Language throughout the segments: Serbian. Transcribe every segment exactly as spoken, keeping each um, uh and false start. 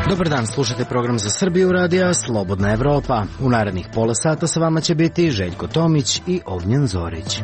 Dobar dan, slušate program za Srbiju radija Slobodna Evropa. U narednih pola sata sa vama će biti Željko Tomić i Ognjen Zorić.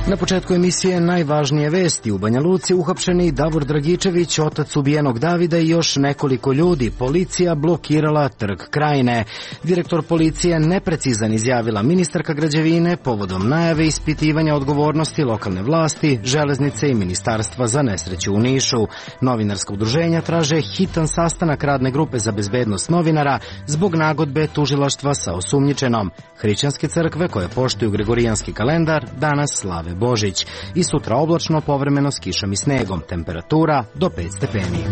Na početku emisije najvažnije vesti. U Banja Luci uhapšeni Davor Dragičević, otac ubijenog Davida i još nekoliko ljudi. Policija blokirala Trg Krajine. Direktor policije neprecizan izjavila ministarka građevine povodom najave ispitivanja odgovornosti lokalne vlasti, železnice i ministarstva za nesreću u Nišu. Novinarska udruženja traže hitan sastanak radne grupe za bezbednost novinara zbog nagodbe tužilaštva sa osumnjičenom. Hrišćanske crkve koje poštuju gregorijanski kalendar danas slave Božić. I sutra oblačno, povremeno s kišom i snegom. Temperatura do pet stepeni.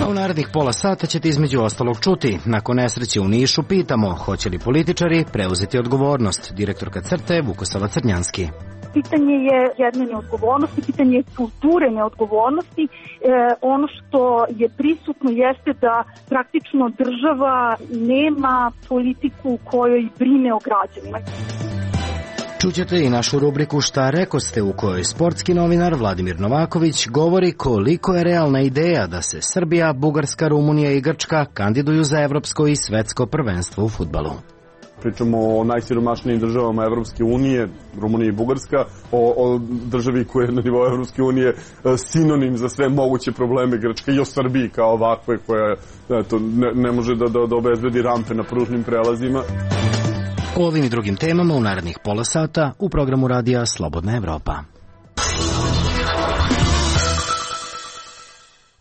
A u narednih pola sata ćete između ostalog čuti. Nakon nesreće u Nišu pitamo hoće li političari preuzeti odgovornost. Direktorka Crte Vukosava Crnjanski. Pitanje je jedne neodgovornosti, pitanje je kulture neodgovornosti. E, ono što je prisutno jeste da praktično država nema politiku kojoj brine o građanima. Čućete i našu rubriku Šta rekoste, u kojoj sportski novinar Vladimir Novaković govori koliko je realna ideja da se Srbija, Bugarska, Rumunija i Grčka kandiduju za evropsko i svetsko prvenstvo u fudbalu. Pričamo o najsiromašnijim državama Evropske unije, Rumunija i Bugarska, o, o državi koja je na nivou Evropske unije sinonim za sve moguće probleme Grčke i o Srbiji kao ovakve koja eto, ne, ne može da, da, da obezbedi rampe na pružnim prelazima. O ovim i drugim temama u narednih pola sata u programu radija Slobodna Evropa.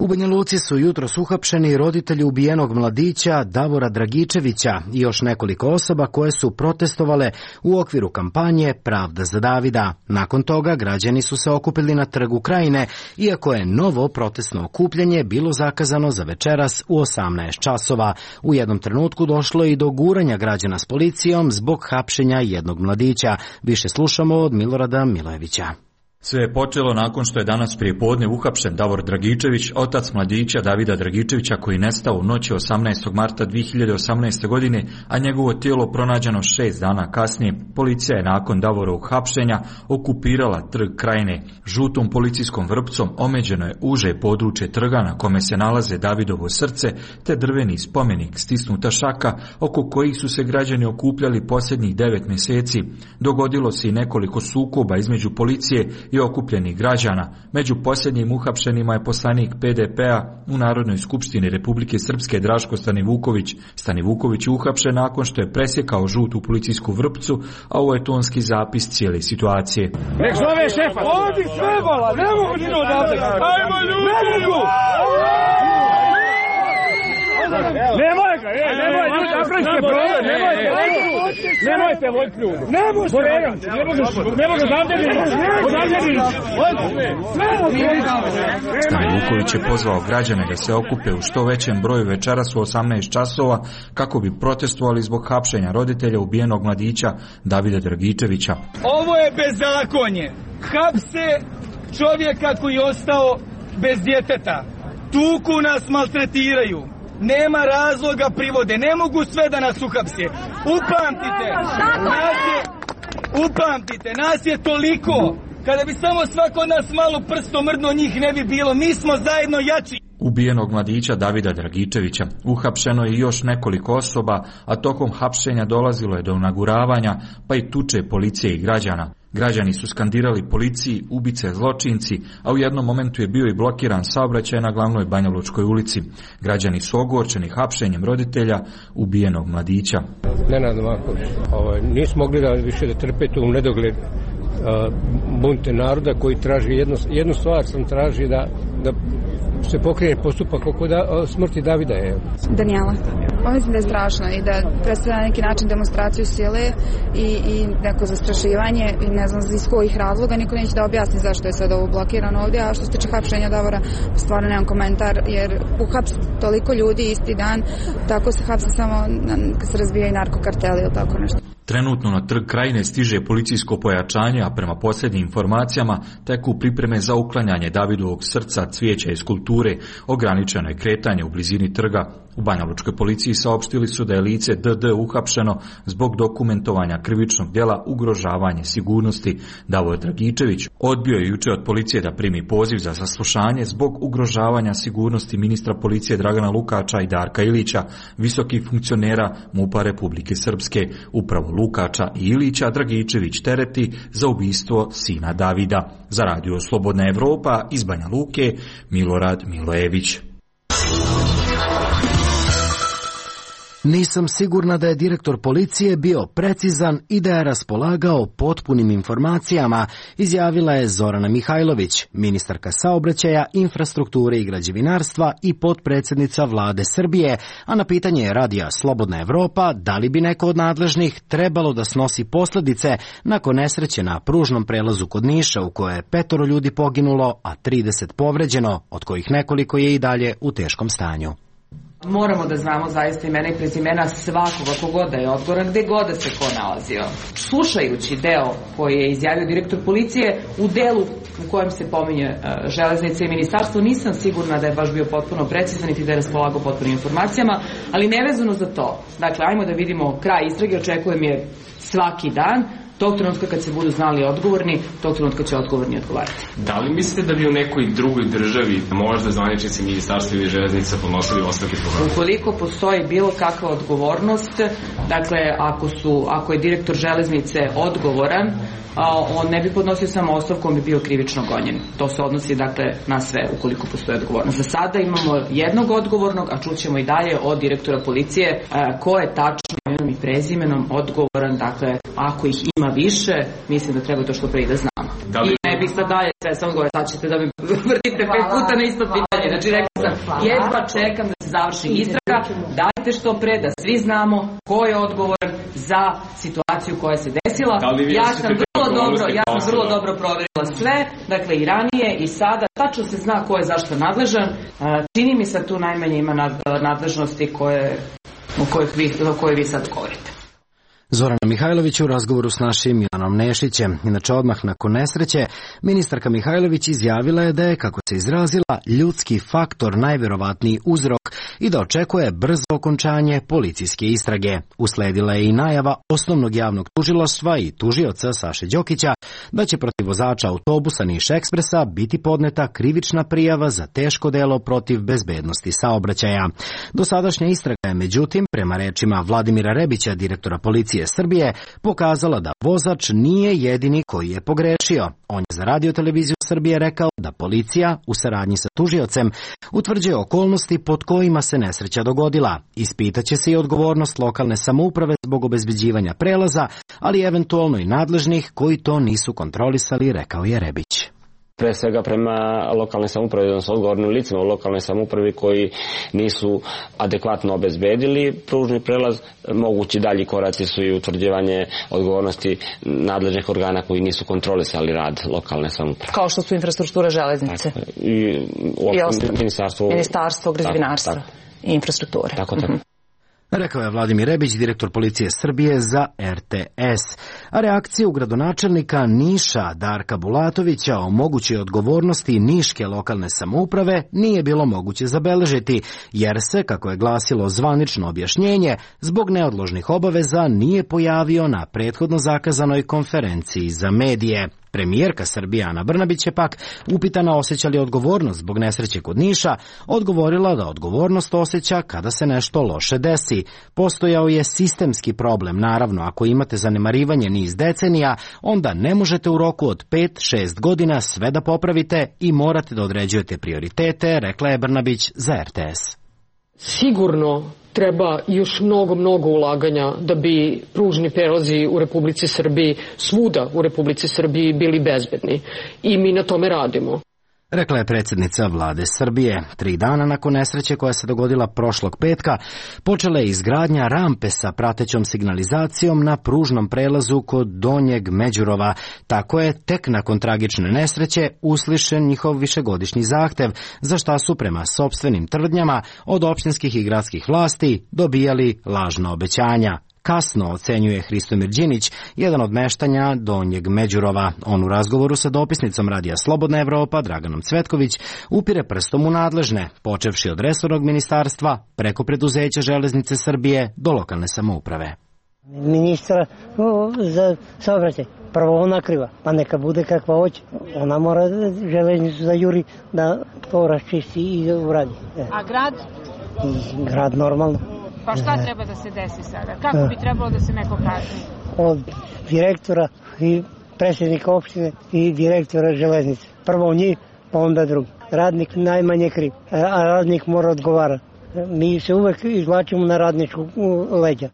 U Banja Luci su jutros uhapšeni roditelji ubijenog mladića Davora Dragičevića i još nekoliko osoba koje su protestovale u okviru kampanje Pravda za Davida. Nakon toga građani su se okupili na Trgu Krajine, iako je novo protestno okupljanje bilo zakazano za večeras u osamnaest časova. U jednom trenutku došlo je i do guranja građana s policijom zbog hapšenja jednog mladića. Više slušamo od Milorada Milojevića. Sve je počelo nakon što je danas prije podne uhapšen Davor Dragičević, otac mladića Davida Dragičevića koji nestao u noći osamnaestog marta dve hiljade osamnaeste. godine, a njegovo tijelo pronađeno šest dana kasnije. Policija je nakon Davorovog hapšenja okupirala Trg Krajine. Žutom policijskom vrpcom omeđeno je uže područje trga na kome se nalaze Davidovo srce te drveni spomenik, stisnuta šaka oko kojih su se građani okupljali posljednjih devet mjeseci. Dogodilo se i nekoliko sukoba između policije i okupljenih građana. Među posljednjim uhapšenima je poslanik P D P-a u Narodnoj skupštini Republike Srpske Draško Stanivuković. Stanivuković je uhapšen nakon što je presjekao žutu policijsku vrpcu, a ovo je tonski zapis cijele situacije. Nek zove šefa! Odi sve vola! Ne mogu ti odavde! Ajmo ljudi! Nemoj ga, ej, nemoj, ljudi, napravite problem, nemojte, nemojte vojt ljudi. Ne može, ne možeš, ne možeš odavde mi, odavde mi, Stanivuković je pozvao građane da se okupe u što većem broju večeras u osamnaest časova kako bi protestovali zbog hapšenja roditelja ubijenog mladića Davida Dragičevića. Ovo je bezakonje. Hapse čovjeka koji je ostao bez djeteta. Tuku nas, maltretiraju. Nema razloga privode, ne mogu sve da nas uhapse. Upamtite, nas je, upamtite, nas je toliko. Kada bi samo svako od nas malo prstom mrdno, njih ne bi bilo. Mi smo zajedno jači. Ubijenog mladića Davida Dragičevića uhapšeno je još nekoliko osoba, a tokom hapšenja dolazilo je do naguravanja, pa i tuče policije i građana. Građani su skandirali policiji, ubice, zločinci, a u jednom momentu je bio i blokiran saobraćaj na glavnoj Banjalučkoj ulici. Građani su ogorčeni hapšenjem roditelja ubijenog mladića. Nenad Novaković, ovaj, nismo mogli da više da trpe tu u nedogled uh, bunte naroda koji traži jednu, jednu stvar sam traži da, da se pokrene postupak oko da, smrti Davida. Je. Danijela. Pa mislim da je strašno i da predstavlja neki način demonstraciju sile i, i neko zastrašivanje i ne znam iz kojih razloga, niko neće da objasni zašto je sad ovo blokirano ovdje, a što se tiče hapšenja Davora, stvarno nemam komentar, jer uhaps toliko ljudi isti dan, tako se hapse samo kad se razbijaju narkokarteli ili tako nešto. Trenutno na Trg Krajine stiže policijsko pojačanje, a prema posljednjim informacijama teku pripreme za uklanjanje Davidovog srca, cvijeća i skulpture. Ograničeno je kretanje u blizini trga. U Banjalučkoj policiji saopštili su da je lice D D uhapšeno zbog dokumentovanja krivičnog djela ugrožavanje sigurnosti. Davor Dragičević odbio je juče od policije da primi poziv za saslušanje zbog ugrožavanja sigurnosti ministra policije Dragana Lukača i Darka Ilića, visokih funkcionera MUP-a Republike Srpske. Upravo Lukača i Ilića Dragičević tereti za ubistvo sina Davida. Za radio Slobodna Evropa iz Banja Luke, Milorad Milojević. Nisam sigurna da je direktor policije bio precizan i da je raspolagao potpunim informacijama, izjavila je Zorana Mihajlović, ministarka saobraćaja, infrastrukture i građevinarstva i potpredsjednica vlade Srbije, a na pitanje radija Slobodna Evropa da li bi neko od nadležnih trebalo da snosi posljedice nakon nesreće na pružnom prelazu kod Niša u kojoj je petoro ljudi poginulo, a trideset povređeno, od kojih nekoliko je i dalje u teškom stanju. Moramo da znamo zaista imena i prezimena svakoga kogoda je odgovoran, gde god da se ko nalazio. Slušajući deo koji je izjavio direktor policije, u delu u kojem se pominje uh, železnice i ministarstvo, nisam sigurna da je baš bio potpuno precizan i da je raspolagao potpunim informacijama, ali nevezano za to. Dakle, ajmo da vidimo kraj istrage, očekujem je svaki dan. Tog trenutka kad se budu znali odgovorni, tog trenutka će odgovorni odgovarati. Da li mislite da bi u nekoj drugoj državi možda zvaničnici ministarstva ili železnica podnosili ostavke programa? Ukoliko postoji bilo kakva odgovornost, dakle ako su, ako je direktor železnice odgovoran, on ne bi podnosio samo ostavku, on bi bio krivično gonjen. To se odnosi dakle na sve ukoliko postoji odgovornost. Za sada imamo jednog odgovornog, a čućemo i dalje od direktora policije ko je tačno imenom i prezimenom odgovoran. Dakle, ako ih ima više, mislim da treba to što pre i da znamo. Da li... I ne bih sad dalje sve sam gore, sad ćete da mi vrtite pet puta na isto pitanje. Znači rekao sam, jedva čekam da se završi istraga, dajte što pre da svi znamo ko je odgovoran za situaciju koja se desila. Ja sam vrlo dobro, ja sam vrlo dobro provjerila sve, dakle i ranije i sada, tačno se zna ko je zašto nadležan. Čini mi se tu najmanje ima nadležnosti koje, o kojih vi, o kojoj vi sad govorite. Zorana Mihajlović u razgovoru s našim Milanom Nešićem. Inače, odmah nakon nesreće, ministarka Mihajlović izjavila je da je, kako se izrazila, ljudski faktor najverovatniji uzrok i da očekuje brzo okončanje policijske istrage. Usledila je i najava osnovnog javnog tužilaštva i tužioca Saše Đokića da će protiv vozača autobusa Niš Ekspresa biti podneta krivična prijava za teško delo protiv bezbednosti saobraćaja. Dosadašnja istraga je, međutim, prema rečima Vladimira Rebića, direktora policije Srbije, pokazala da vozač nije jedini koji je pogrešio. On je za Radio televiziju Srbije rekao da policija, u saradnji sa tužiocem, utvrđuje okolnosti pod kojima se nesreća dogodila. Ispitaće se i odgovornost lokalne samouprave zbog obezbeđivanja prelaza, ali eventualno i nadležnih koji to nisu kontrolisali, rekao je Rebić. Pre svega prema lokalne samouprave, odnosno odgovornim licima u lokalnoj samoupravi koji nisu adekvatno obezbedili pružni prelaz. Mogući dalji koraci su i utvrđivanje odgovornosti nadležnih organa koji nisu kontrolisali rad lokalne samouprave. Kao što su infrastruktura železnice. Tako, i, I ministarstvo, ministarstvo građevinarstva i infrastrukture. Tako, tako. Mm-hmm. Rekao je Vladimir Rebić, direktor policije Srbije za R T S. A reakciju gradonačelnika Niša Darka Bulatovića o mogućoj odgovornosti niške lokalne samouprave nije bilo moguće zabeležiti, jer se, kako je glasilo zvanično objašnjenje, zbog neodložnih obaveza nije pojavio na prethodno zakazanoj konferenciji za medije. Premijerka Srbije Ana Brnabić je pak, upitana osjeća li odgovornost zbog nesreće kod Niša, odgovorila da odgovornost osjeća kada se nešto loše desi. Postojao je sistemski problem, naravno, ako imate zanemarivanje niz decenija, onda ne možete u roku od pet do šest godina sve da popravite i morate da određujete prioritete, rekla je Brnabić za R T S. Sigurno treba još mnogo, mnogo ulaganja da bi pružni prelazi u Republici Srbiji, svuda u Republici Srbiji bili bezbedni. I mi na tome radimo. Rekla je predsjednica vlade Srbije. Tri dana nakon nesreće koja se dogodila prošlog petka, počela je izgradnja rampe sa pratećom signalizacijom na pružnom prelazu kod Donjeg Međurova. Tako je tek nakon tragične nesreće uslišen njihov višegodišnji zahtev, za šta su prema sopstvenim tvrdnjama od opštinskih i gradskih vlasti dobijali lažna obećanja. kasno, ocenjuje Hristomir Đinić, jedan od meštanja Donjeg Međurova. On u razgovoru sa dopisnicom Radija Slobodna Evropa, Draganom Cvetković, upire prstom u nadležne, počevši od resornog ministarstva, preko preduzeća Železnice Srbije do lokalne samouprave. Ministra za saobraćaj, prvo ona kriva, pa neka bude kakva hoće. Ona mora železnicu da juri da to raščisti i uradi. A grad? I grad normalno. Pa šta treba da se desi sada? Kako bi trebalo da se neko kazni? Od direktora i predsjednika opštine i direktora železnice. Prvo njih, pa onda drugi. Radnik najmanje kriv, a radnik mora odgovara. Mi se uvek izvlačimo na radničku leđa.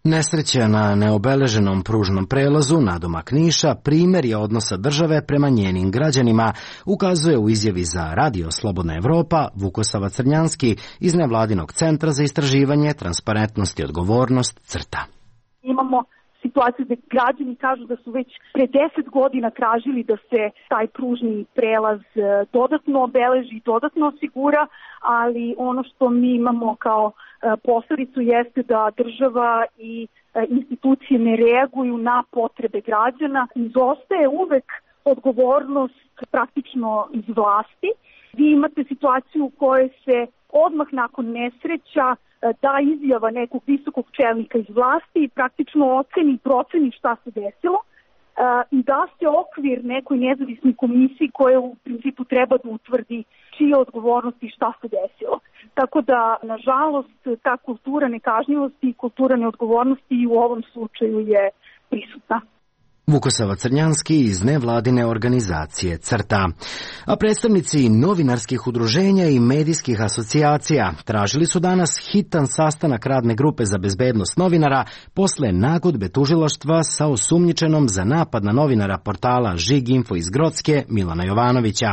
Nesreća na neobeleženom pružnom prelazu nadomak Niša primjer je odnosa države prema njenim građanima, ukazuje u izjavi za Radio Slobodna Evropa Vukosava Crnjanski iz nevladinog centra za istraživanje, transparentnost i odgovornost CRTA. Imamo situaciju da građani kažu da su već pre deset godina tražili da se taj pružni prelaz dodatno obeleži i dodatno osigura, ali ono što mi imamo kao posledicu jeste da država i institucije ne reaguju na potrebe građana. Izostaje uvek odgovornost praktično iz vlasti. Vi imate situaciju u kojoj se odmah nakon nesreća da izjava nekog visokog čelnika iz vlasti i praktično oceni i proceni šta se desilo i da se okvir nekoj nezavisnoj komisiji koja u principu treba da utvrdi čija odgovornost i šta se desilo. Tako da, nažalost, ta kultura nekažnjivosti i kultura neodgovornosti i u ovom slučaju je prisutna. Vukosava Crnjanski iz nevladine organizacije CRTA. A predstavnici novinarskih udruženja i medijskih asocijacija tražili su danas hitan sastanak radne grupe za bezbednost novinara posle nagodbe tužilaštva sa osumnjičenom za napad na novinara portala Žiginfo iz Grocke Milana Jovanovića.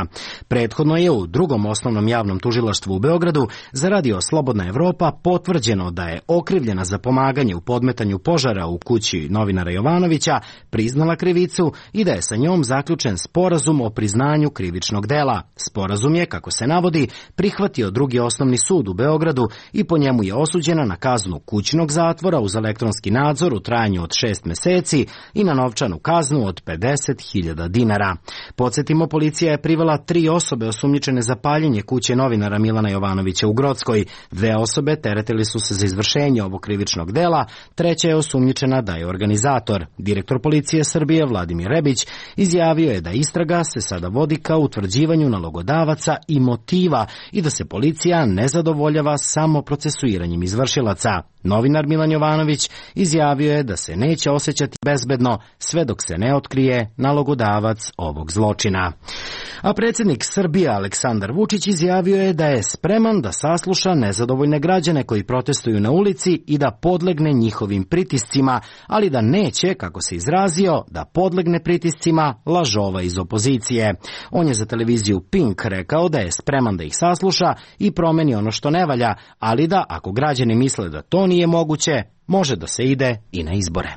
Prethodno je u drugom osnovnom javnom tužilaštvu u Beogradu za Radio Slobodna Evropa potvrđeno da je okrivljena za pomaganje u podmetanju požara u kući novinara Jovanovića priznala krivicu i da je sa njom zaključen sporazum o priznanju krivičnog dela. Sporazum je, kako se navodi, prihvatio drugi osnovni sud u Beogradu i po njemu je osuđena na kaznu kućnog zatvora uz elektronski nadzor u trajanju od šest meseci i na novčanu kaznu od pedeset hiljada dinara. Podsjetimo, policija je privela tri osobe osumnjičene za paljenje kuće novinara Milana Jovanovića u Grockoj. Dve osobe teretili su se za izvršenje ovog krivičnog dela, treća je osumnjičena da je organizator. Direktor policije Srbije Vladimir Rebić izjavio je da istraga se sada vodi ka utvrđivanju nalogodavaca i motiva i da se policija ne zadovoljava samo procesuiranjem izvršilaca. Novinar Milan Jovanović izjavio je da se neće osjećati bezbedno sve dok se ne otkrije nalogodavac ovog zločina. A predsjednik Srbije Aleksandar Vučić izjavio je da je spreman da sasluša nezadovoljne građane koji protestuju na ulici i da podlegne njihovim pritiscima, ali da neće, kako se izrazio, da podlegne pritiscima lažova iz opozicije. On je za televiziju Pink rekao da je spreman da ih sasluša i promeni ono što ne valja, ali da ako građani misle da to nije moguće, može da se ide i na izbore.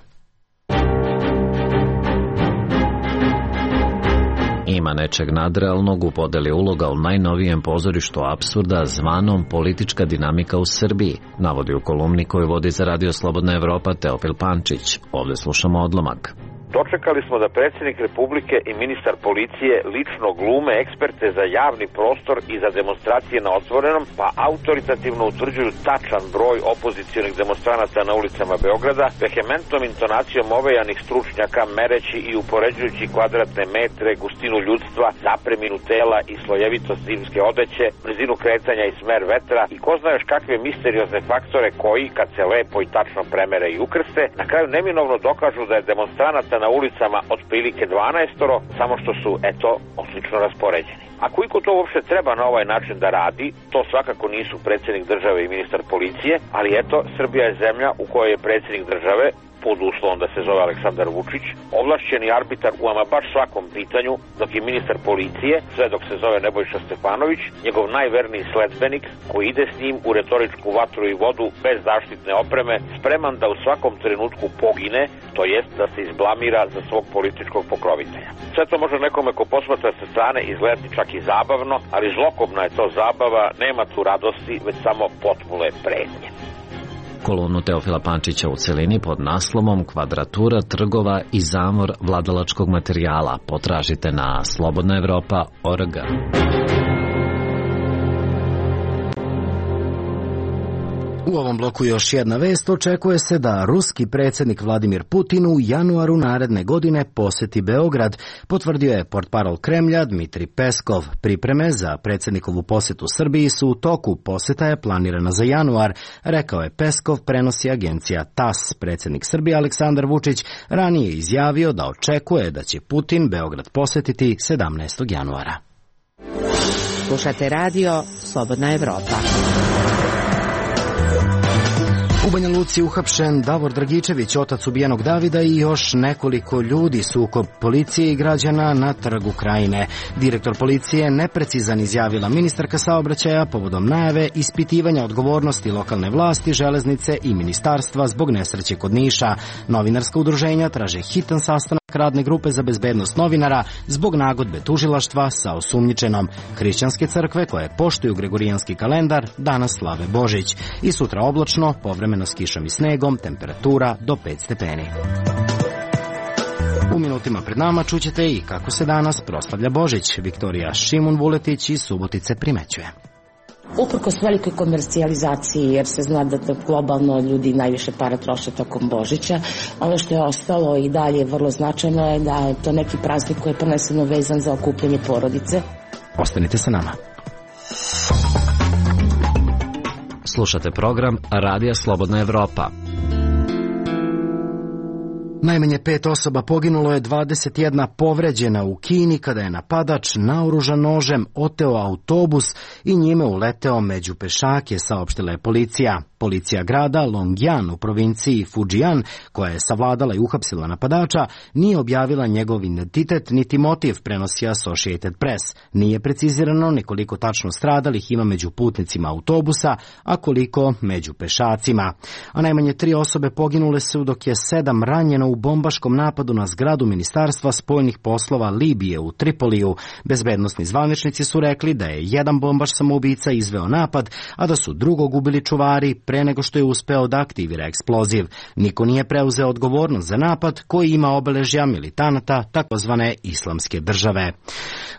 Ima nečeg nadrealnog u podeli uloga u najnovijem pozorištu apsurda zvanom politička dinamika u Srbiji, navodi u kolumni koju vodi za Radio Slobodna Evropa Teofil Pančić. Ovdje slušamo odlomak. Dočekali smo da predsjednik Republike i ministar policije lično glume eksperte za javni prostor i za demonstracije na otvorenom, pa autoritativno utvrđuju tačan broj opozicionih demonstranata na ulicama Beograda, vehementnom intonacijom ovejanih stručnjaka mereći i upoređujući kvadratne metre, gustinu ljudstva, zapreminu tela i slojevitost zimske odeće, brzinu kretanja i smer vetra i ko zna još kakve misteriozne faktore koji, kad se lepo i tačno premere i ukrste, na kraju neminovno dokažu da je demonstranata na ulicama otprilike dvanaestoro, samo što su, eto, odlično raspoređeni. A koliko to uopšte treba na ovaj način da radi, to svakako nisu predsjednik države i ministar policije, ali eto, Srbija je zemlja u kojoj je predsjednik države, pod uslovom da se zove Aleksandar Vučić, ovlašćeni arbitar u ama baš svakom pitanju, dok je ministar policije, sve dok se zove Nebojša Stefanović, njegov najverniji sledbenik, koji ide s njim u retoričku vatru i vodu bez zaštitne opreme, spreman da u svakom trenutku pogine, to jest da se izblamira za svog političkog pokrovitelja. Sve to može nekome ko posmatra sa strane izgledati čak i zabavno, ali zlokobna je to zabava, nema tu radosti, već samo potpune pretnje. Kolumnu Teofila Pančića u celini pod naslovom Kvadratura trgova i zamor vladalačkog materijala potražite na slobodna evropa tačka org. U ovom bloku još jedna vest. Očekuje se da ruski predsjednik Vladimir Putin u januaru naredne godine poseti Beograd, potvrdio je portparol Kremlja Dmitri Peskov. Pripreme za predsjednikovu posjetu Srbiji su u toku, posjeta je planirana za januar, rekao je Peskov, prenosi agencija T A S. Predsjednik Srbije Aleksandar Vučić ranije izjavio da očekuje da će Putin Beograd posjetiti sedamnaestog januara. Slušate radio Slobodna Evropa. U Banja Luci uhapšen Davor Dragičević, otac ubijenog Davida, i još nekoliko ljudi. Sukob policije i građana na Trgu Krajine. Direktor policije neprecizan, izjavila ministarka saobraćaja povodom najave ispitivanja odgovornosti lokalne vlasti, železnice i ministarstva zbog nesreće kod Niša. Novinarska udruženja traže hitan sastanak radne grupe za bezbednost novinara zbog nagodbe tužilaštva sa osumnjičenom. Hrišćanske crkve koje poštuju gregorijanski kalendar danas slave Božić. I sutra oblačno, povremeno s kišom i snegom, temperatura do pet stepeni. U minutima pred nama čućete i kako se danas proslavlja Božić. Viktorija Šimun Vuletić iz Subotice primećuje. Uprkos velikoj komercijalizaciji, jer se zna da globalno ljudi najviše para troše tokom Božića, ono što je ostalo i dalje vrlo značajno je da je to neki praznik koji je prvenstveno vezan za okupljanje porodice. Ostanite sa nama. Slušate program Radija Slobodna Evropa. Najmanje pet osoba poginulo je, dvadeset jedna povređena u Kini kada je napadač naoružan nožem oteo autobus i njime uleteo među pešake, saopštila je policija. Policija grada Longyan u provinciji Fujian, koja je savladala i uhapsila napadača, nije objavila njegov identitet niti motiv, prenosi Associated Press. Nije precizirano ni koliko tačno stradalih ima među putnicima autobusa, a koliko među pešacima. A najmanje tri osobe poginule su, dok je sedam ranjeno u bombaškom napadu na zgradu Ministarstva spoljnih poslova Libije u Tripoliju. Bezbednosni zvaničnici su rekli da je jedan bombaš samoubica izveo napad, a da su drugog ubili čuvari pre nego što je uspeo da aktivira eksploziv. Niko nije preuzeo odgovornost za napad koji ima obeležja militanata takozvane islamske države.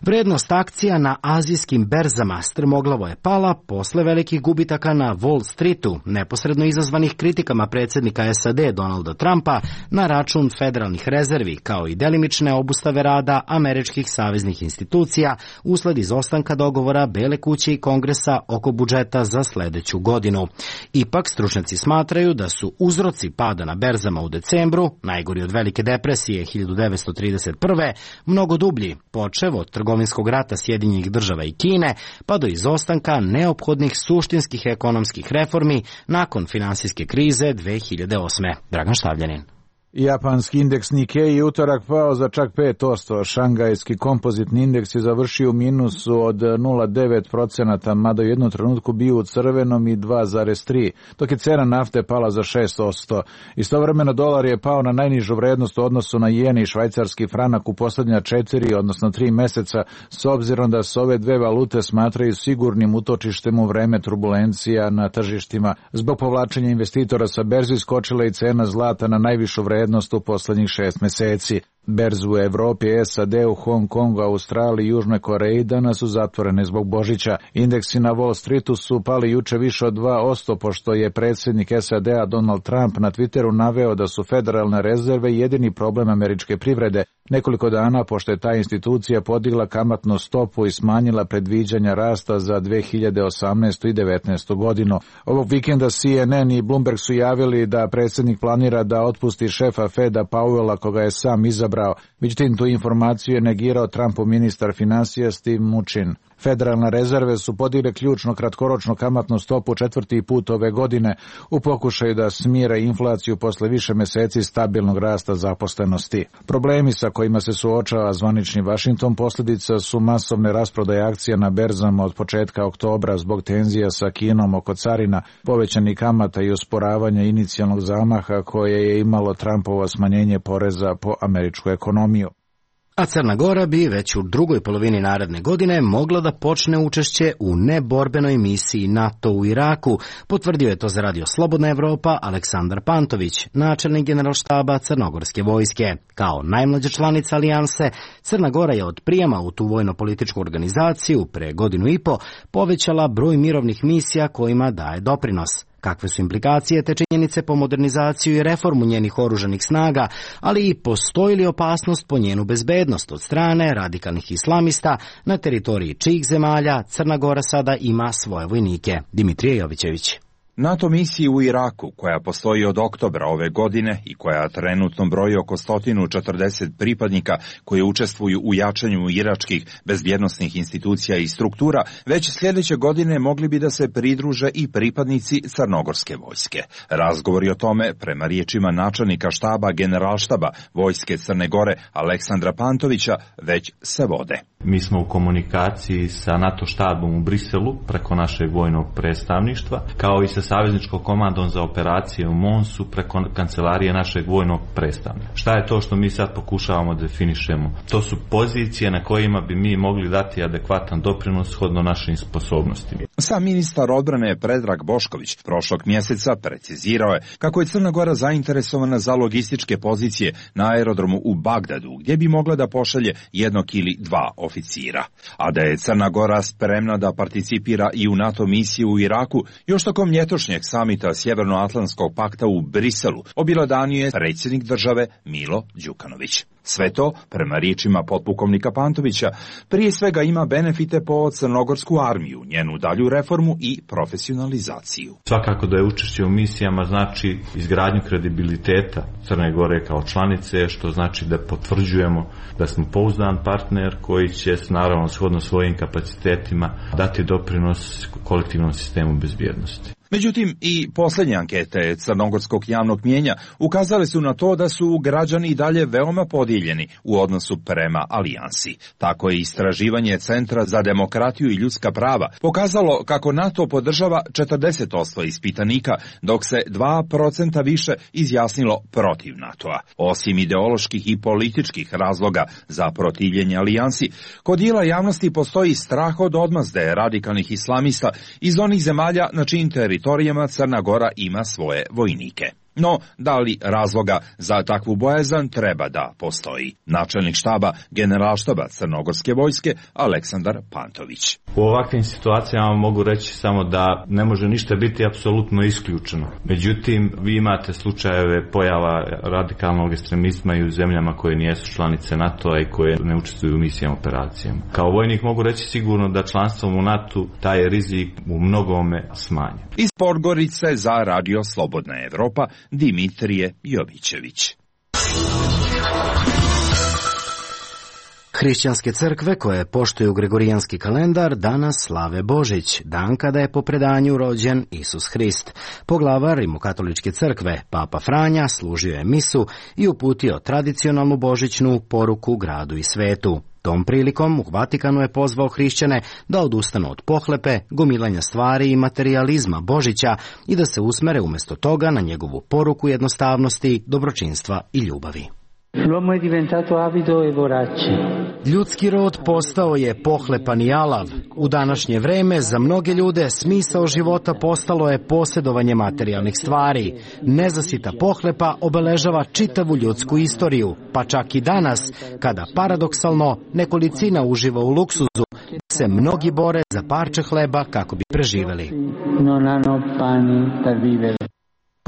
Vrednost akcija na azijskim berzama strmoglavo je pala posle velikih gubitaka na Wall Streetu, neposredno izazvanih kritikama predsjednika S A D Donalda Trumpa na račun federalnih rezervi, kao i delimične obustave rada američkih saveznih institucija usled izostanka dogovora Bele kuće i Kongresa oko budžeta za sledeću godinu. Ipak, stručnjaci smatraju da su uzroci pada na berzama u decembru, najgori od velike depresije hiljadu devetsto trideset prve, mnogo dublji, počev od trgovinskog rata Sjedinjenih država i Kine, pa do izostanka neophodnih suštinskih ekonomskih reformi nakon finansijske krize dve hiljade osme. Dragan Štavljanin. Japanski indeks Nikkei je utorak pao za čak pet posto. Šangajski kompozitni indeks je završio u minusu od nula zarez devet posto, mada u jednom trenutku bio u crvenom i dva zarez tri, dok je cena nafte pala za šest posto. Istovremeno dolar je pao na najnižu vrednost u odnosu na jen i švajcarski franak u posljednja četiri, odnosno tri meseca, s obzirom da se ove dve valute smatraju sigurnim utočištem u vreme turbulencija na tržištima. Zbog povlačenja investitora sa berzi skočila i cena zlata na najvišu vrednost u poslednjih šest meseci. Berze u Evropi, S A D, u Hong Kongu, Australiji i Južnoj Koreji danas su zatvorene zbog Božića. Indeksi na Wall Streetu su pali juče više od dva posto, pošto je predsjednik S A D-a Donald Trump na Twitteru naveo da su federalne rezerve jedini problem američke privrede, nekoliko dana pošto je ta institucija podigla kamatnu stopu i smanjila predviđanja rasta za dve hiljade osamnaestu i devetnaestu godinu. Ovog vikenda C N N i Bloomberg su javili da predsjednik planira da otpusti šefa Feda Powella, koga je sam izabrao. Međutim, tu informaciju je negirao Trumpov ministar finansija Steve Mnuchin. Federalne rezerve su podigli ključno kratkoročnu kamatnu stopu četvrti put ove godine u pokušaju da smire inflaciju posle više meseci stabilnog rasta zaposlenosti. Problemi sa kojima se suočava zvanični Vašington posljedica su masovne rasprodaje akcija na berzama od početka oktobra zbog tenzija sa Kinom oko carina, povećanih kamata i usporavanja inicijalnog zamaha koje je imalo Trumpovo smanjenje poreza po američku ekonomiju. A Crna Gora bi već u drugoj polovini naredne godine mogla da počne učešće u neborbenoj misiji NATO u Iraku, potvrdio je to za Radio Slobodna Evropa Aleksandar Pantović, načelnik generalštaba Crnogorske vojske. Kao najmlađa članica alijanse, Crna Gora je od prijema u tu vojno-političku organizaciju pre godinu i po povećala broj mirovnih misija kojima daje doprinos. Kakve su implikacije te činjenice po modernizaciju i reformu njenih oružanih snaga, ali i postoji li opasnost po njenu bezbednost od strane radikalnih islamista na teritoriji čijih zemalja Crna Gora sada ima svoje vojnike? Dimitrije Jovićević. NATO misiji u Iraku, koja postoji od oktobra ove godine i koja trenutno broji oko sto četrdeset pripadnika koji učestvuju u jačanju iračkih bezbjednosnih institucija i struktura, već sljedeće godine mogli bi da se pridruže i pripadnici Crnogorske vojske. Razgovori o tome, prema riječima načelnika štaba generalštaba Vojske Crne Gore Aleksandra Pantovića, već se vode. Mi smo u komunikaciji sa NATO štabom u Briselu preko našeg vojnog predstavništva, kao i sa savezničkom komandom za operacije u Monsu preko kancelarije našeg vojnog predstavnika. Šta je to što mi sad pokušavamo da definišemo? To su pozicije na kojima bi mi mogli dati adekvatan doprinos shodno našim sposobnostima. Sam ministar odbrane Predrag Bošković prošlog mjeseca precizirao je kako je Crna Gora zainteresovana za logističke pozicije na aerodromu u Bagdadu, gdje bi mogla da pošalje jednog ili dva oficira. A da je Crna Gora spremna da participira i u NATO misiju u Iraku, još tokom ljetošnjeg samita Sjevernoatlantskog pakta u Briselu objelodanio je predsjednik države Milo Đukanović. Sve to, prema riječima potpukovnika Pantovića, prije svega ima benefite po crnogorsku armiju, njenu dalju reformu i profesionalizaciju. Svakako da je učešće u misijama znači izgradnju kredibiliteta Crne Gore kao članice, što znači da potvrđujemo da smo pouzdan partner koji će, naravno, shodno svojim kapacitetima dati doprinos kolektivnom sistemu bezbjednosti. Međutim, i posljednje ankete crnogorskog javnog mnijenja ukazale su na to da su građani i dalje veoma podijeljeni u odnosu prema alijansi. Tako je istraživanje Centra za demokratiju i ljudska prava pokazalo kako NATO podržava četrdeset posto ispitanika, dok se dva procenta više izjasnilo protiv NATO-a. Osim ideoloških i političkih razloga za protivljenje alijansi, kod dijela javnosti postoji strah od odmazde radikalnih islamista iz onih zemalja na čijim teritorijama Crna Gora ima svoje vojnike. No, da li razloga za takvu bojazan treba da postoji? Načelnik štaba generalštaba Crnogorske vojske Aleksandar Pantović. U ovakvim situacijama mogu reći samo da ne može ništa biti apsolutno isključeno. Međutim, vi imate slučajeve pojava radikalnog ekstremizma i u zemljama koje nijesu članice NATO-a i koje ne učestvuju u misijama operacijama. Kao vojnik mogu reći sigurno da članstvom u NATO taj rizik u mnogome smanje. Iz Podgorice za Radio Slobodna Evropa Dimitrije Jovićević. Hrišćanske crkve koje poštuju gregorijanski kalendar danas slave Božić, dan kada je po predanju rođen Isus Hrist. Poglavar Rimokatoličke crkve, Papa Franja, služio je misu i uputio tradicionalnu božićnu poruku gradu i svetu. Tom prilikom u Vatikanu je pozvao hrišćane da odustanu od pohlepe, gomilanja stvari i materijalizma Božića i da se usmere umjesto toga na njegovu poruku jednostavnosti, dobročinstva i ljubavi. L'uomo è diventato avido e vorace. Ljudski rod postao je pohlepan i alav. U današnje vreme za mnoge ljude smisao života postalo je posjedovanje materijalnih stvari. Nezasita pohlepa obeležava čitavu ljudsku istoriju, pa čak i danas, kada paradoksalno nekolicina uživa u luksuzu, se mnogi bore za parče hleba kako bi preživeli. Non hanno pane per vivere.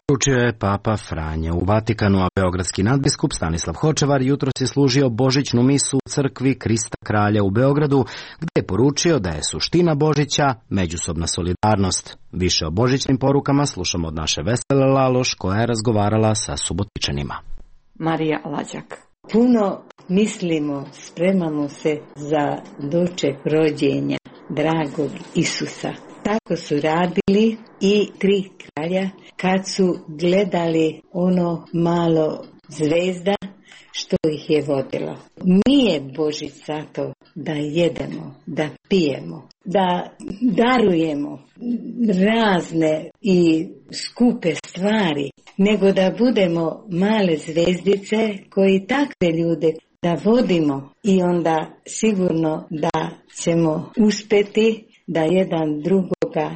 Poručio je Papa Franja u Vatikanu, a beogradski nadbiskup Stanislav Hočevar jutros je služio božićnu misu u crkvi Krista Kralja u Beogradu, gdje je poručio da je suština Božića međusobna solidarnost. Više o božićnim porukama slušamo od naše Vesele Laloš, koja je razgovarala sa Subotičanima. Marija Lađak. Puno mislimo, spremamo se za doček rođenja dragog Isusa. Tako su radili i tri kralja kad su gledali ono malo zvezda što ih je vodilo. Nije Božić zato da jedemo, da pijemo, da darujemo razne i skupe stvari, nego da budemo male zvezdice koji takve ljude da vodimo i onda sigurno da ćemo uspeti da jedan drugoga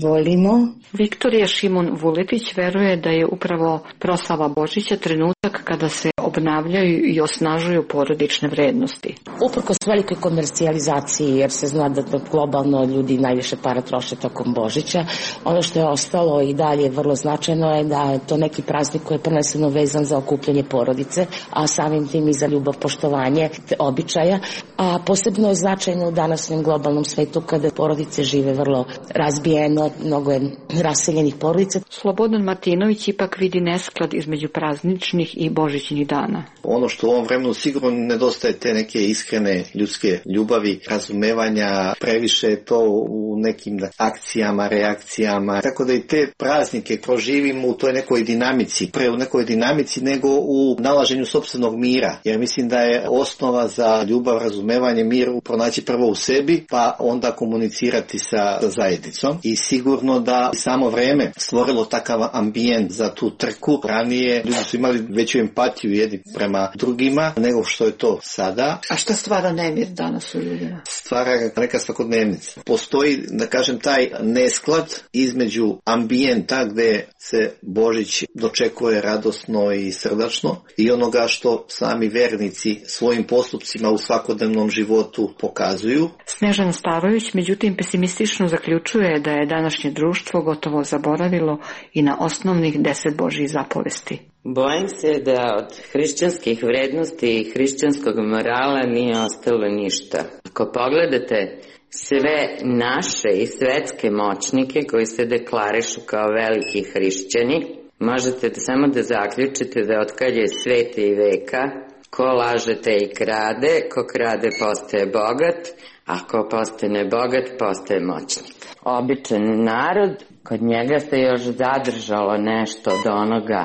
volimo. Viktorija Šimun Vuletić veruje da je upravo proslava Božića trenutak kada se obnavljaju i osnažuju porodične vrednosti. Uprkos velikoj komercijalizaciji, jer se zna da globalno ljudi najviše para troše tokom Božića, ono što je ostalo i dalje vrlo značajno je da je to neki praznik koji je prvenstveno vezan za okupljanje porodice, a samim tim i za ljubav, poštovanje običaja. A posebno je značajno u današnjem globalnom svetu kada porodice žive vrlo razbijeno, mnogo je raseljenih porodica. Slobodan Martinović ipak vidi nesklad između prazničnih i božićnih dana. Ono što u ovom vremenu sigurno nedostaje te neke iskrene ljudske ljubavi, razumevanja, previše je to u nekim akcijama, reakcijama, tako da i te praznike proživimo u toj nekoj dinamici, pre u nekoj dinamici nego u nalaženju sopstvenog mira, jer mislim da je osnova za ljubav, razumevanje, mir pronaći prvo u sebi, pa onda komunicirati sa, sa zajednicom i sigurno da samo vreme stvorilo takav ambijent za tu trku. Ranije ljudi su imali veću empatiju jedni prema drugima nego što je to sada. A šta stvara nemir danas u ljudima? Stvara neka svakodnevnica. Postoji, da kažem, taj nesklad između ambijenta gde se Božić dočekuje radosno i srdačno i onoga što sami vernici svojim postupcima u svakodnevnom životu pokazuju. Snežana Starović međutim pesimistično zaključuje da je današnje društvo gotovo zaboravilo i na osnovnih deset Božjih zapovesti. Bojim se da od hrišćanskih vrednosti i hrišćanskog morala nije ostalo ništa. Ako pogledate sve naše i svetske moćnike koji se deklarišu kao veliki hrišćani, možete da samo da zaključite da otkad je sveta i veka, ko lažete i krade, ko krade postaje bogat, a ko postane bogat postaje moćnik. Običan narod, kod njega se još zadržalo nešto od onoga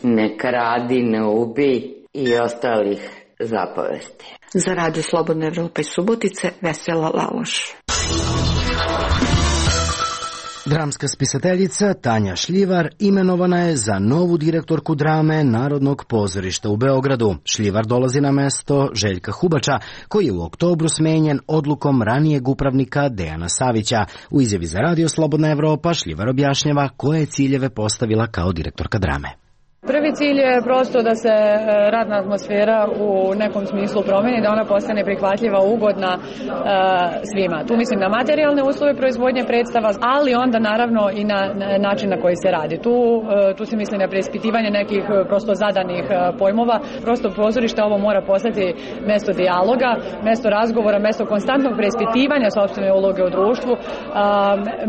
ne kradi, ne ubij i ostalih zapovesti. Za Radio Slobodna Evropa iz Subotice, Vesela Laloš. Dramska spisateljica Tanja Šljivar imenovana je za novu direktorku drame Narodnog pozorišta u Beogradu. Šljivar dolazi na mesto Željka Hubača, koji je u oktobru smenjen odlukom ranijeg upravnika Dejana Savića. U izjavi za Radio Slobodna Evropa Šljivar objašnjava koje ciljeve postavila kao direktorka drame. Prvi cilj je prosto da se radna atmosfera u nekom smislu promeni, da ona postane prihvatljiva, ugodna e, svima. Tu mislim na materijalne uslove proizvodnje predstava, ali onda naravno i na, na način na koji se radi. Tu, e, tu se misli na preispitivanje nekih prosto zadanih e, pojmova. Prosto pozorište ovo mora postati mesto dijaloga, mesto razgovora, mesto konstantnog preispitivanja sopstvene uloge u društvu, e,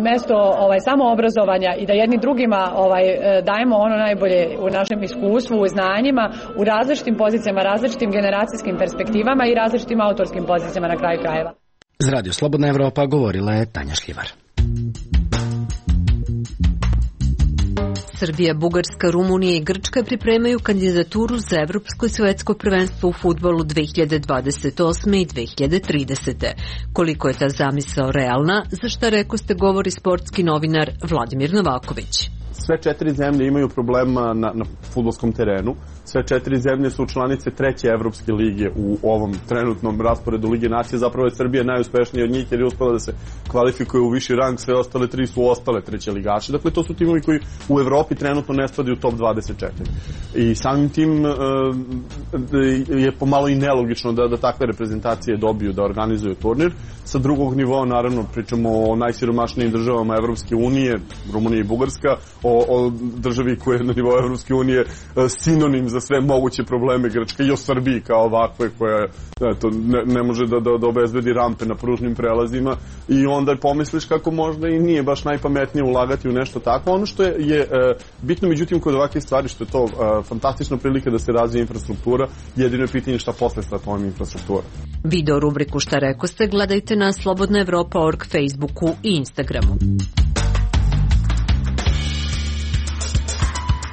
mesto ovaj, samoobrazovanja i da jedni drugima ovaj, dajemo ono najbolje u našem iskustvu, u znanjima, u različitim pozicijama, različitim generacijskim perspektivama i različitim autorskim pozicijama na kraju krajeva. Za Radio Slobodna Evropa govorila je Tanja Šljivar. Srbija, Bugarska, Rumunija i Grčka pripremaju kandidaturu za Evropsko i svetsko prvenstvo u fudbalu dve hiljade dvadeset osme i dve hiljade tridesete. Koliko je ta zamisao realna, za šta rekoste govori sportski novinar Vladimir Novaković. Sve četiri zemlje imaju problema na, na fudbalskom terenu. Sve četiri zemlje su članice treće Evropske lige u ovom trenutnom rasporedu Lige nacije. Zapravo je Srbija najuspešnija od njih jer je uspela da se kvalifikuje u viši rang. Sve ostale tri su ostale treće ligaše. Dakle, to su timovi koji u Evropi trenutno ne spadaju u top dvadeset četiri. I samim tim e, je pomalo i nelogično da, da takve reprezentacije dobiju da organizuju turnir. Sa drugog nivoa, naravno, pričamo o najsiromašnijim državama Evropske unije, Rumunija i Bugarska, o, o državi koja je na nivou Evropske unije sinonim za sve moguće probleme Grčke i o Srbiji kao ovakve koja eto, ne, ne može da, da, da obezbedi rampe na pružnim prelazima i onda pomisliš kako možda i nije baš najpametnije ulagati u nešto tako. Ono što je, je bitno međutim kod ovakve stvari što je to fantastična prilika da se razvije infrastruktura, jedino je pitanje šta posle sa tom infrastruktura. Video rubriku Šta rekoste gledajte na slobodna evropa tačka org, Facebooku i Instagramu.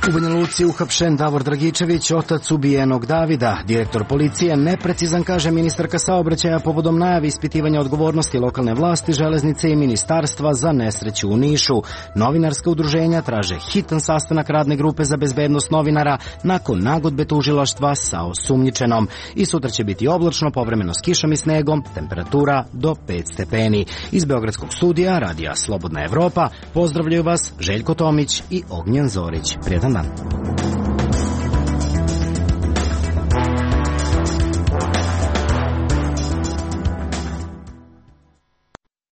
U Banja Luci uhapšen Davor Dragičević, otac ubijenog Davida. Direktor policije neprecizan, kaže ministarka saobraćaja povodom najavi ispitivanja odgovornosti lokalne vlasti, železnice i ministarstva za nesreću u Nišu. Novinarska udruženja traže hitan sastanak radne grupe za bezbednost novinara nakon nagodbe tužilaštva sa osumnjičenom. I sutra će biti oblačno, povremeno s kišom i snegom, temperatura do pet stepeni. Iz Beogradskog studija Radija Slobodna Evropa pozdravljaju vas Željko Tomić i Ognjen Zorić. Prijetan dan.